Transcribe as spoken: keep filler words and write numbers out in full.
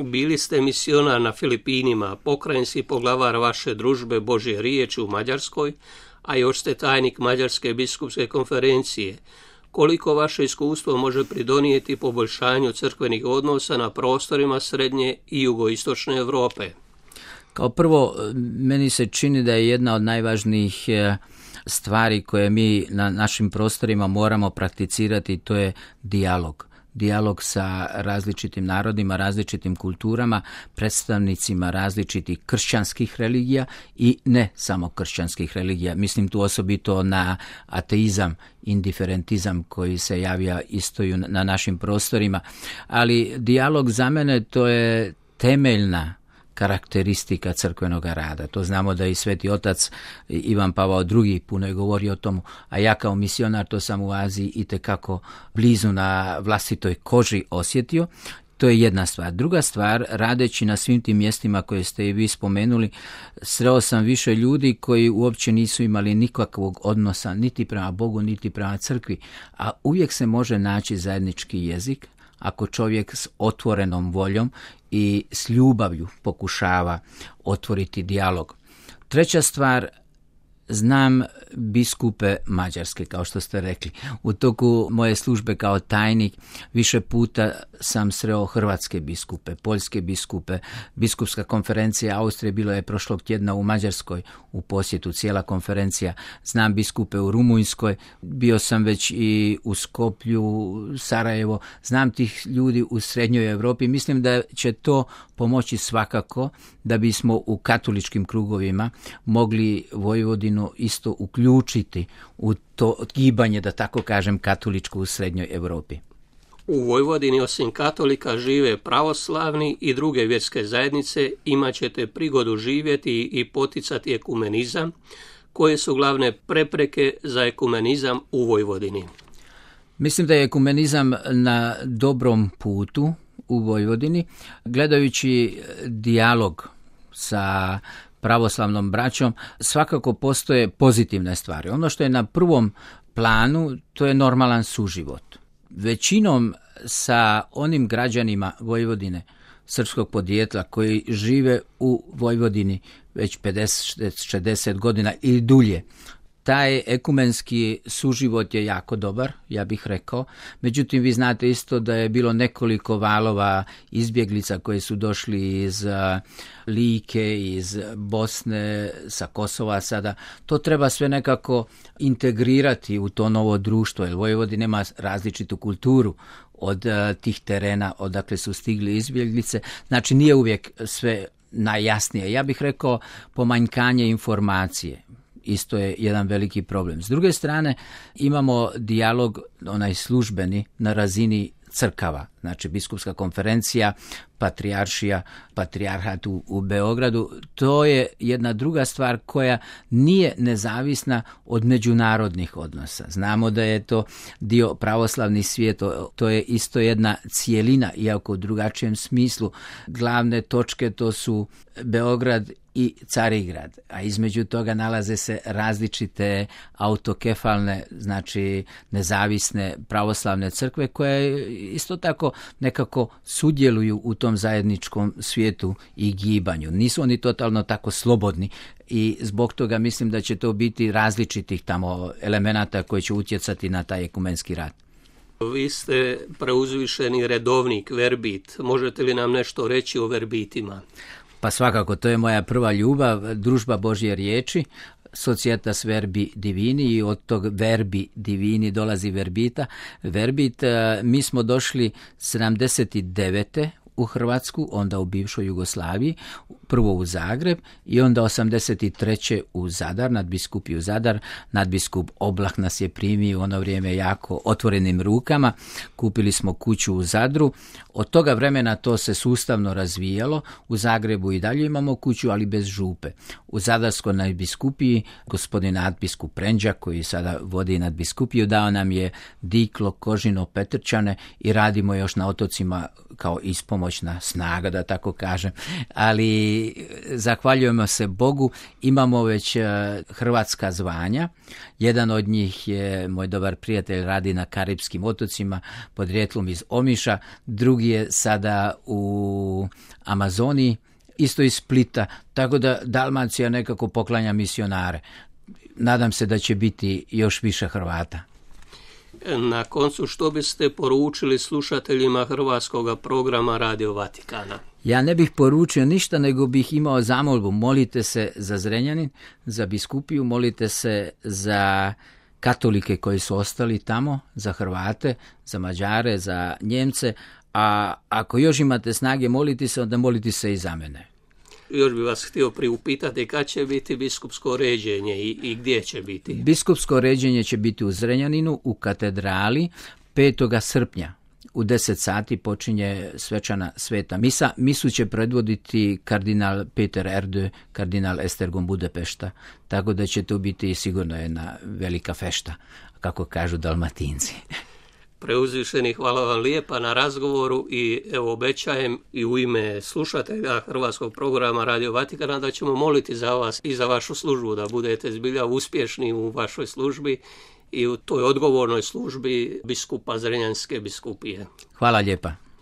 Bili ste misionar na Filipinima, pokrajinski poglavar vaše družbe Božje riječi u Mađarskoj, a još ste tajnik Mađarske biskupske konferencije. Koliko vaše iskustvo može pridonijeti poboljšanju crkvenih odnosa na prostorima srednje i jugoistočne Europe? Kao prvo, meni se čini da je jedna od najvažnijih stvari koje mi na našim prostorima moramo prakticirati, to je dijalog. Dijalog sa različitim narodima, različitim kulturama, predstavnicima različitih kršćanskih religija i ne samo kršćanskih religija. Mislim tu osobito na ateizam, indiferentizam koji se javlja isto na našim prostorima. Ali dijalog za mene to je temeljna karakteristika crkvenog rada. To znamo da i Sveti Otac Ivan Pavao drugi puno je govorio o tomu, a ja kao misionar to sam u Aziji itekako blizu na vlastitoj koži osjetio. To je jedna stvar. Druga stvar, radeći na svim tim mjestima koje ste i vi spomenuli, sreo sam više ljudi koji uopće nisu imali nikakvog odnosa niti prema Bogu, niti prema crkvi, a uvijek se može naći zajednički jezik ako čovjek s otvorenom voljom i s ljubavlju pokušava otvoriti dijalog. Treća stvar, znam biskupe Mađarske, kao što ste rekli. U toku moje službe kao tajnik više puta sam sreo hrvatske biskupe, poljske biskupe. Biskupska konferencija Austrije bilo je prošlog tjedna u Mađarskoj u posjetu, cijela konferencija. Znam biskupe u Rumunjskoj, bio sam već i u Skoplju, Sarajevo. Znam tih ljudi u srednjoj Europi. Mislim da će to pomoći svakako da bismo u katoličkim krugovima mogli Vojvodinu isto uključiti u to gibanje, da tako kažem, katoličko u srednjoj Europi. U Vojvodini osim katolika žive pravoslavni i druge vjerske zajednice. Imat ćete prigodu živjeti i poticati ekumenizam. Koje su glavne prepreke za ekumenizam u Vojvodini? Mislim da je ekumenizam na dobrom putu u Vojvodini. Gledajući dijalog sa pravoslavnom braćom, svakako postoje pozitivne stvari. Ono što je na prvom planu, to je normalan suživot. Većinom sa onim građanima Vojvodine srpskog podrijetla koji žive u Vojvodini već pedeset šezdeset godina ili dulje, taj ekumenski suživot je jako dobar, ja bih rekao. Međutim, vi znate isto da je bilo nekoliko valova izbjeglica koji su došli iz Like, iz Bosne, sa Kosova sada. To treba sve nekako integrirati u to novo društvo, jer Vojvodina ima različitu kulturu od tih terena odakle su stigli izbjeglice. Znači, nije uvijek sve najjasnije. Ja bih rekao pomanjkanje informacije. Isto je jedan veliki problem. S druge strane, imamo dijalog, onaj službeni, na razini crkava. Znači, biskupska konferencija, patrijaršija, patrijarhat u, u Beogradu. To je jedna druga stvar koja nije nezavisna od međunarodnih odnosa. Znamo da je to dio pravoslavni svijet, to je isto jedna cijelina, iako u drugačijem smislu. Glavne točke to su Beograd i Carigrad, a između toga nalaze se različite autokefalne, znači nezavisne pravoslavne crkve koje isto tako nekako sudjeluju u tom zajedničkom svijetu i gibanju. Nisu oni totalno tako slobodni i zbog toga mislim da će to biti različitih tamo elemenata koji će utjecati na taj ekumenski rad. Vi ste preuzvišeni redovnik, verbit. Možete li nam nešto reći o verbitima? Pa svakako, to je moja prva ljubav, družba Božje riječi, Societas Verbi Divini, i od tog Verbi Divini dolazi verbita. Verbit, mi smo došli sedamdeset devete u Hrvatsku, onda u bivšoj Jugoslaviji, prvo u Zagreb i onda osamdeset treće u Zadar, nadbiskupiju Zadar. Nadbiskup Oblah nas je primio u ono vrijeme jako otvorenim rukama. Kupili smo kuću u Zadru. Od toga vremena to se sustavno razvijalo. U Zagrebu i dalje imamo kuću, ali bez župe. U Zadarskoj nadbiskupiji gospodin nadbiskup Prenđak, koji sada vodi nadbiskupiju, dao nam je Diklo, Kožino, Petrčane i radimo još na otocima kao ispomoć svemoćna snaga, da tako kažem. Ali zahvaljujemo se Bogu, imamo već hrvatska zvanja. Jedan od njih je moj dobar prijatelj, radi na Karipskim otocima, podrijetlom iz Omiša, drugi je sada u Amazoniji, isto iz Splita, tako da Dalmacija nekako poklanja misionare. Nadam se da će biti još više Hrvata. Na koncu, što biste poručili slušateljima hrvatskog programa Radio Vatikana? Ja ne bih poručio ništa, nego bih imao zamolbu. Molite se za Zrenjanin, za biskupiju, molite se za katolike koji su ostali tamo, za Hrvate, za Mađare, za Njemce, a ako još imate snage moliti se, onda moliti se i za mene. Još bih vas htio priupitati kad će biti biskupsko ređenje i, i gdje će biti? Biskupsko ređenje će biti u Zrenjaninu, u katedrali, petog srpnja. U deset sati počinje svečana sveta misa. Misu će predvoditi kardinal Peter Erdő, kardinal Esztergom Budapešta, tako da će to biti sigurno jedna velika fešta, kako kažu Dalmatinci. Preuzvišeni, hvala vam lijepa na razgovoru i evo obećajem i u ime slušatelja hrvatskog programa Radio Vatikana da ćemo moliti za vas i za vašu službu, da budete zbilja uspješni u vašoj službi i u toj odgovornoj službi biskupa Zrenjanske biskupije. Hvala lijepa.